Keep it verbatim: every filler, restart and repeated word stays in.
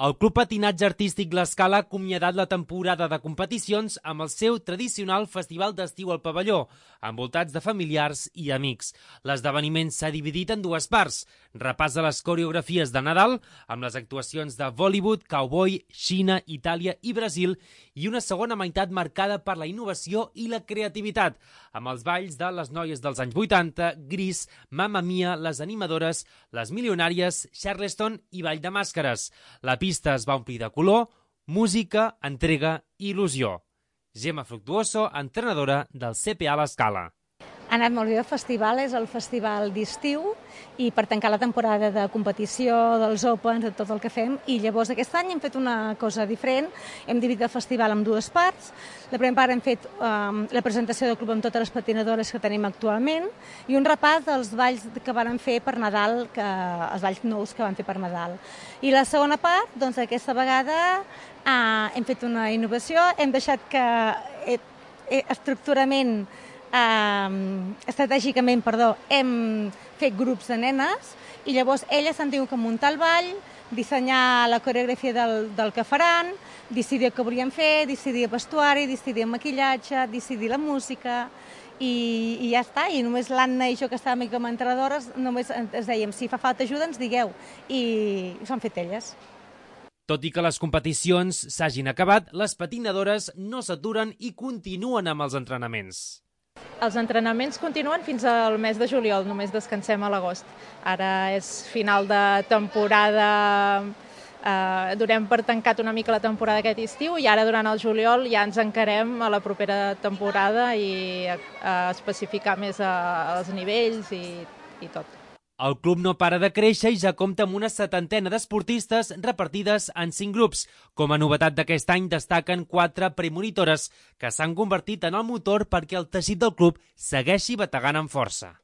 El Club Patinatge Artístic L'Escala ha acomiadat la temporada de competicions amb el seu tradicional festival d'estiu al pavelló, envoltats de familiars i amics. L'esdeveniment s'ha dividit en dues parts. Repàs de les coreografies de Nadal, amb les actuacions de Bollywood, Cowboy, Xina, Itàlia i Brasil, i una segona meitat marcada per la innovació i la creativitat, amb els balls de les noies dels anys vuitanta, Gris, Mamma Mia, les animadores, les milionàries, Charleston i Ball de Màscares. La pista es va omplir de color, música, entrega i il·lusió. Gemma Fructuoso, entrenadora del C P A L'Escala. Ha anat molt bé el festival, és el festival d'estiu i per tancar la temporada de competició, dels Opens, de tot el que fem. I llavors aquest any hem fet una cosa diferent, hem dividit el festival en dues parts. La primera part hem fet um, la presentació del club amb totes les patinadores que tenim actualment i un repàs dels balls que van fer per Nadal, que, els balls nous que van fer per Nadal. I la segona part, doncs aquesta vegada uh, hem fet una innovació, hem deixat que eh, eh, estructurament Uh, estratègicament, perdó, hem fet grups de nenes i llavors elles s'han tingut que muntar el ball, dissenyar la coreografia del, del que faran, decidir el que volien fer, decidir el vestuari, decidir el maquillatge, decidir la música i, i ja està. I només l'Anna i jo, que estàvem com a entrenadores, només ens dèiem, si fa falta ajuda ens digueu, i s'ho han fet elles. Tot i que les competicions s'hagin acabat, les patinadores no s'aturen i continuen amb els entrenaments. Els entrenaments continuen fins al mes de juliol, només descansem a l'agost. Ara és final de temporada, eh, donem per tancat una mica la temporada aquest estiu i ara durant el juliol ja ens encarem a la propera temporada i a, a especificar més a, als nivells i, i tot. El club no para de créixer i ja compta amb una setantena d'esportistes repartides en cinc grups. Com a novetat d'aquest any destaquen quatre premonitores que s'han convertit en el motor perquè el teixit del club segueixi bategant amb força.